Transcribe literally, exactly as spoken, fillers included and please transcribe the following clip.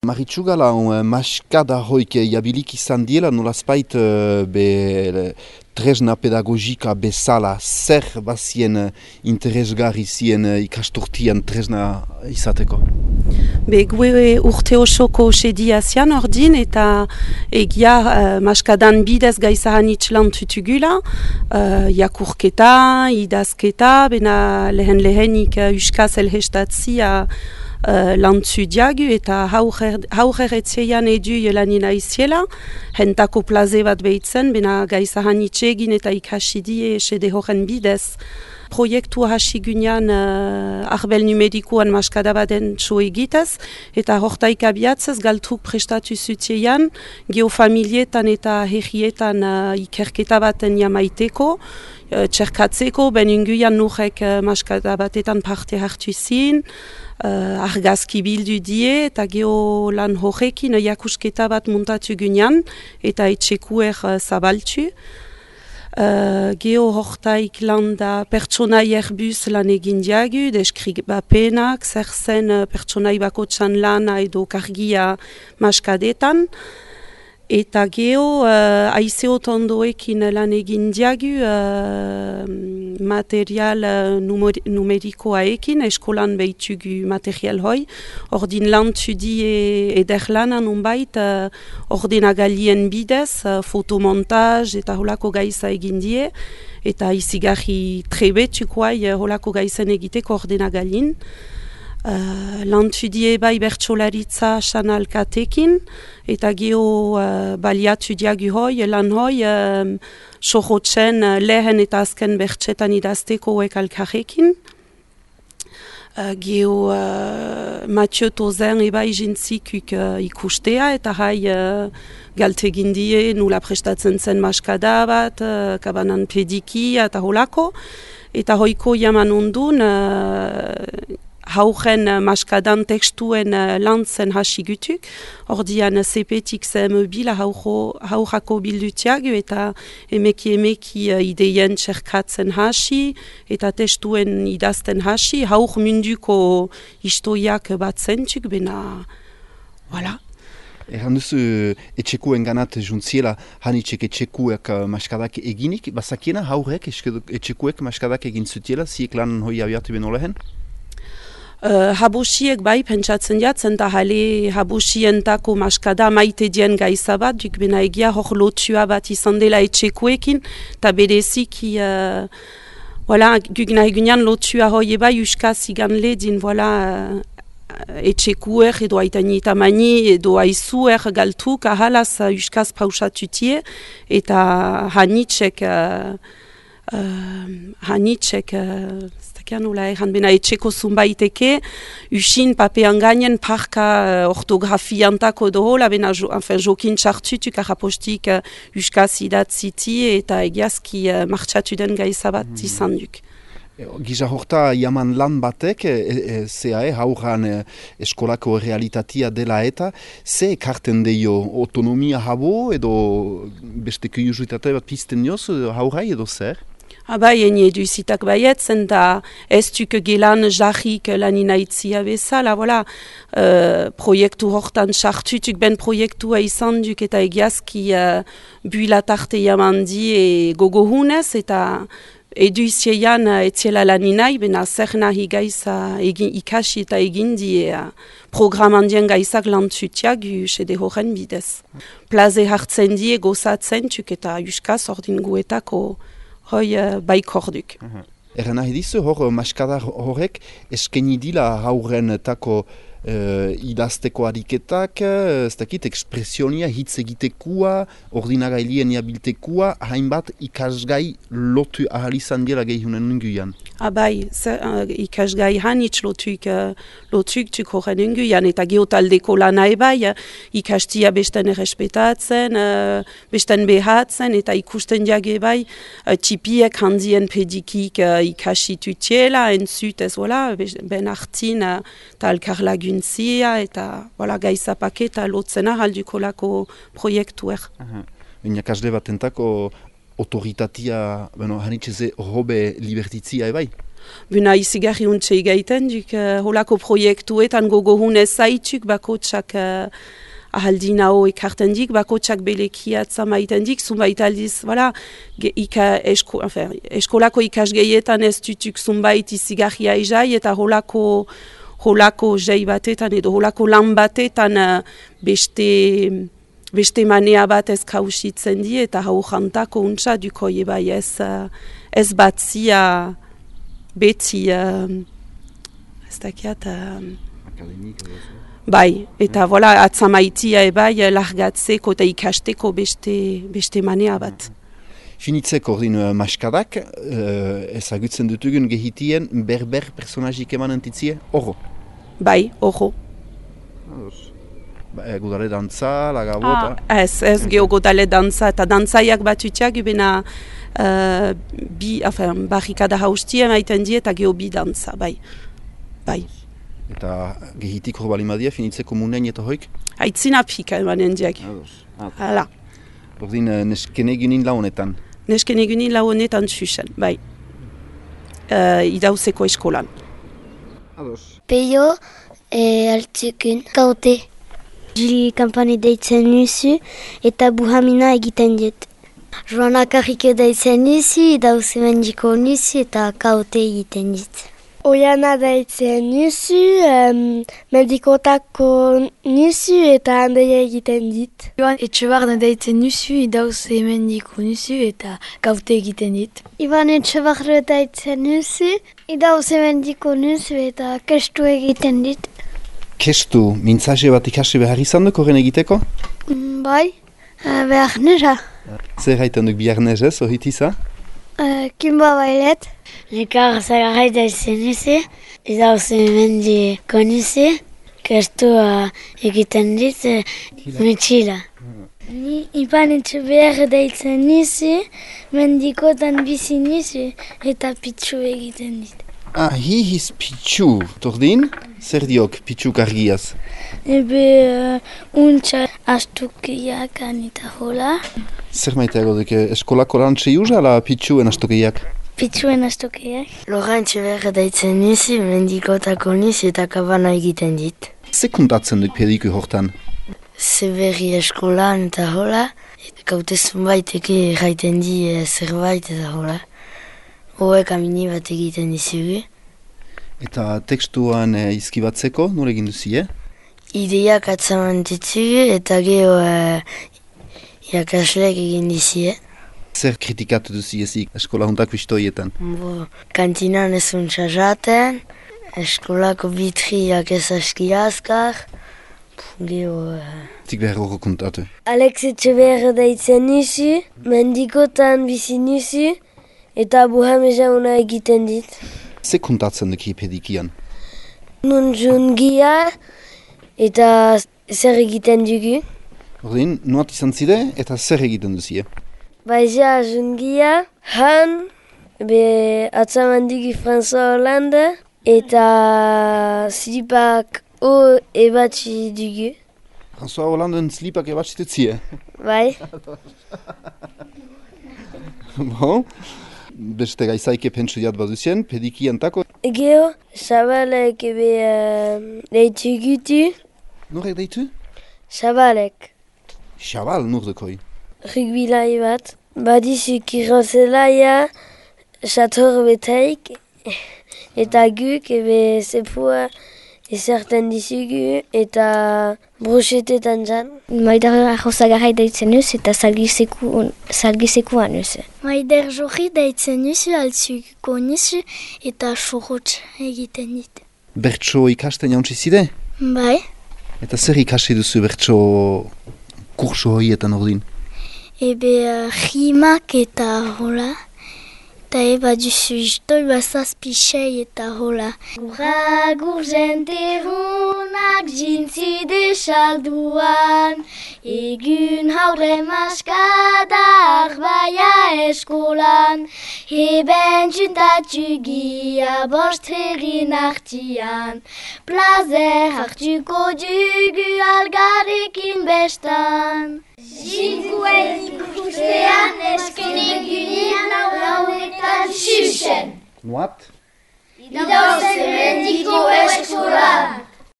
Maritxugala, uh, maskada hoik jabilik izan diela, nolazpait uh, be tresna pedagogika bezala zer bazien uh, interesgarri zien uh, ikasturtian tresna izateko? Be gue urte osoko sedia zian ordin eta egia uh, maskadan bidez gaizahanitz lan tutugula, uh, jakurketa, idazketa, bena lehen lehenik uh, uskaz elhestatzia Uh, lantzu diagu eta haurer etzeian edu jelanina iziela, hentako plaze bat behitzen, bena gaizahan itxegin eta ikasidie esede horren bidez. Proiektu hasi gunean uh, arbel numerikoan maskada baden txo egitez, eta hortaik abiatzez galtruk prestatu zutiean, geofamilietan eta herrietan uh, ikerketa baten jamaiteko, uh, txerkatzeko, ben unguian nurek uh, maskada batetan parte hartu zin, Uh, argazki bildu die eta geho lan horrekin jakusketa bat muntatu gunean eta etxekuer uh, zabaltu. Uh, geho hortaik lan da pertsonai erbuz lan egin diagu, deskribapenak, zer zen uh, pertsonai bakotxan lana edo kargia maskadetan. Eta geho uh, aizeo tondoekin lan egin diagu uh, material uh, numer numerikoaekin, eskolan behitugu material hoi. Ordin lan tudie eder lanan unbait, uh, ordenagalien bidez, uh, fotomontaz eta holako gaiza egin die. Eta izigarri trebetukoai uh, holako gaizen egiteko ordenagalin. Uh, Lantudie bai bertsolaritza sanalkatekin eta geho uh, baliatu diagu hoi, lan hoi um, sohotzen uh, lehen eta azken bertsetan idazteko hauek alkarrekin. Uh, geho uh, Mathieu Tozen ebai jintzikuk uh, ikustea eta hai uh, galtegin die nula prestatzen zen maskada bat, uh, kabanan pediki eta holako. Eta hoiko jaman ondun uh, hauren uh, maskadan tekstuen uh, lantzen hasi gutuk, ordian zepetik ze mobila haurako bildutiagu eta emeki emeki uh, ideien txerkatzen hasi eta tekstuen idazten hasi, haur munduko historiak bat zentuk, bena, voilà. Erran duzu etxekuen ganat juntziela, hanitxek etxekuek uh, maskadak eginik, bazakiena haurek etxekuek maskadak egin zutiela, ziek lan hoi abiatu beno lehen? Uh, habosiek bai pentsatzen jatzen da hale habosientako maskada maite dien gaiza bat, duk bena egia hor lotua bat izan dela etxekuekin, eta bereziki uh, voilà, guk nahi gunean lotua hoi eba uskaz igan ledin, voilà, uh, etxekuer edo aitani eta mani edo aizuer galtuk ahalaz uh, uskaz pausatutie, eta hanitxek uh, uh, hanitxek uh, nola erran bena etxeko zunbaiteke, usin papean gainen parka uh, ortografiantako edo hola, bena jo, enfin, jokin txartutuk arrapostik uh, uskaz idatziti eta egiazki uh, martxatu den gaizabat mm. izan duk. Giza horta jaman lan batek, e, e, zea e, hauran e, eskolako realitatea dela eta, ze ekarten deio autonomia habo edo beste kuriositate bat pizten dioz haurai edo zer? Abai, eni eduzitak baietzen da ez duk gelan jarrik lanina itzia bezala, voilà. Uh, proiektu hortan sartutuk ben proiektua izan duk eta egiazki uh, builatarte jamandi e gogohunez eta eduziean uh, etziela laninai, bena zer nahi gaiza egin, ikasi eta egin die uh, programandien gaizak lantutiak usede horren bidez. Plaze hartzen die gozatzen tuk eta uskaz ordin guetako hoi uh, baikorduk. Uh-huh. Erra nahi dizu hor maskadar horrek eskeni dila hauren tako uh, idazteko ariketak, ez dakit, ekspresionia, hitz egitekua, ordinagailien jabiltekua, hainbat ikasgai lotu ahal izan dira gehiunen nunguian. Abai, uh, ikasgai hanitz lotuk, uh, lotuk tuk horren nunguian, eta geotaldeko lana ebai, uh, ikastia besten errespetatzen, uh, besten behatzen, eta ikusten diage ebai, uh, tipiek handien pedikik uh, ikasitutiela, entzut ez, voilà, ben hartin, eta uh, alkar laguntzia, eta voilà, gaizapaketa lotzena halduko lako proiektuer. Uh-huh. Inak asle batentako autoritatea, bueno, hanitxeze hobe libertitzia ebai? Buna izigarri untxe igaiten, duk uh, holako proiektuetan gogohunez zaituk bakotsak uh, ahaldin hau ekarten dik, bakotsak belekiatza maiten dik, zunbait aldiz, voilà, ge, ika, esko, enfin, eskolako ikasgeietan ez dutuk zunbait izigarria izai, eta holako, holako jai batetan edo holako lan batetan uh, beste... beste manea bat ez kausitzen di, eta hau jantako untsa duko bai ez, uh, ez batzia beti, uh, ez dakiat, uh, bai, eta mm. voilà, atzamaitia ebai largatzeko eta ikasteko beste, beste manea bat. Finitzeko ordin uh, maskadak, uh, ezagutzen dutugun gehitien berber personazik eman entitzie, horro? Bai, horro. Ba, godale dantza, lagabota? Ah, ez, ez geho godale dantza, eta dantzaiak batutiak ubena uh, bi, afen, barrikada haustia maiten die eta geho bi dantza, bai. Bai. Eta gehitik hor balimadia, finitzeko munen eta hoik? Aitzina pika emanen diak. Hala. Ordin neskene egunin launetan? Neskene egunin launetan zuzen, bai. Uh, idauzeko eskolan. Ados. Peio, e, altzukun, kaute. Jili kampani deitzen nuzu eta buhamina egiten diet. Joana Karrike deitzen nuzu, idauze mendiko nuzu eta kaute egiten dit. Oiana deitzen nuzu, um, mendikotako nuzu eta handeia egiten dit. Joan Etxebarne deitzen nuzu, idauze mendiko nuzu eta kaute egiten dit. Iban Etxebarne deitzen nuzu, idauze mendiko nuzu eta kestu egiten dit. Kestu, mintzaxe bat ikasi behar izan duk horren egiteko? Mm, bai, uh, behar nera. Zer haiten duk bihar nezez, ohitiza? Uh, Kimba bailet. Nekar zagarrai daitzen izi, idauze mendiko nizi, kestua egiten dit, metxila. Ni Iban Etxeber daitzen nizi, mendikotan bizi nizi eta pitsu egiten dit. Ah, hihiz pitsu. Tordin, zer diok pitxuk argiaz? Ebe uh, untxa astukiak anita hola. Zer maiteago duk, eskolako lantxe juz ala pitxuen astukiak? Pitxuen astukiak. Logan Etxeber daitzen nizi, mendikotako nizi eta kabana egiten dit. Ze kontatzen duk pediku hortan? Zeberri eskolan eta hola, kaute zunbaiteke gaiten di zerbait eta hola. Hoek amini bat egiten dizugu. Eta tekstuan e, izkibatzeko, nore egin duzie? Ideiak atzaman ditugu eta geho e, irakasleak egin dizie. Zer kritikatu duziezik eskola huntak bistoietan? Bo, kantinan ez untsa jaten, eskolako bitriak ez aski azkar, geho... E... Tik behar horro kontatu. Alex Etxeber daitzen nizu, mendikotan bizi nizu, eta buhameza una egiten dit. Ze kontatzen duk pedikian? Nun jungia eta zer egiten dugu. Ordin, nuat izan zide eta zer egiten duzie? Baizia jungia, han, be atzaman dugu François Hollande eta slipak o ebatzi dugu. François Hollanden slipak ebatzi dutzie? Bai. Bon. Beste gaizaike pentsu diat baduzien, pedikian tako? Geo, Sabalek ebe uh, deitu gutu. Norek deitu? Sabalek. Xabal, nur dekoi? Rugbilai bat. Badizu kirozelaia, xator betaik, eta guk ebe zepua ezerten dizugu eta brochetetan zan. Maider arrozagarrai daitzen nuz eta salgizekuan nuz. Maider jorri daitzen nuz, altzuko nuz eta sorotx egiten dit. Bertso ikasten jauntzi zide? Bai. Eta zer ikasi duzu bertso kurso horietan ordin? Ebe uh, rimak eta hola. Eta eba duzu iztoi bazazpixei eta hola. Guragur jenterunak jintzi desalduan, egun haure maskadak baia eskolan, eben juntatu gia bost herrin artian, plazer hartuko dugu algarekin bestan. Jintuen ikustean esken egunin lauetan xuxen. Nuat? Idauze mendiko eskolan!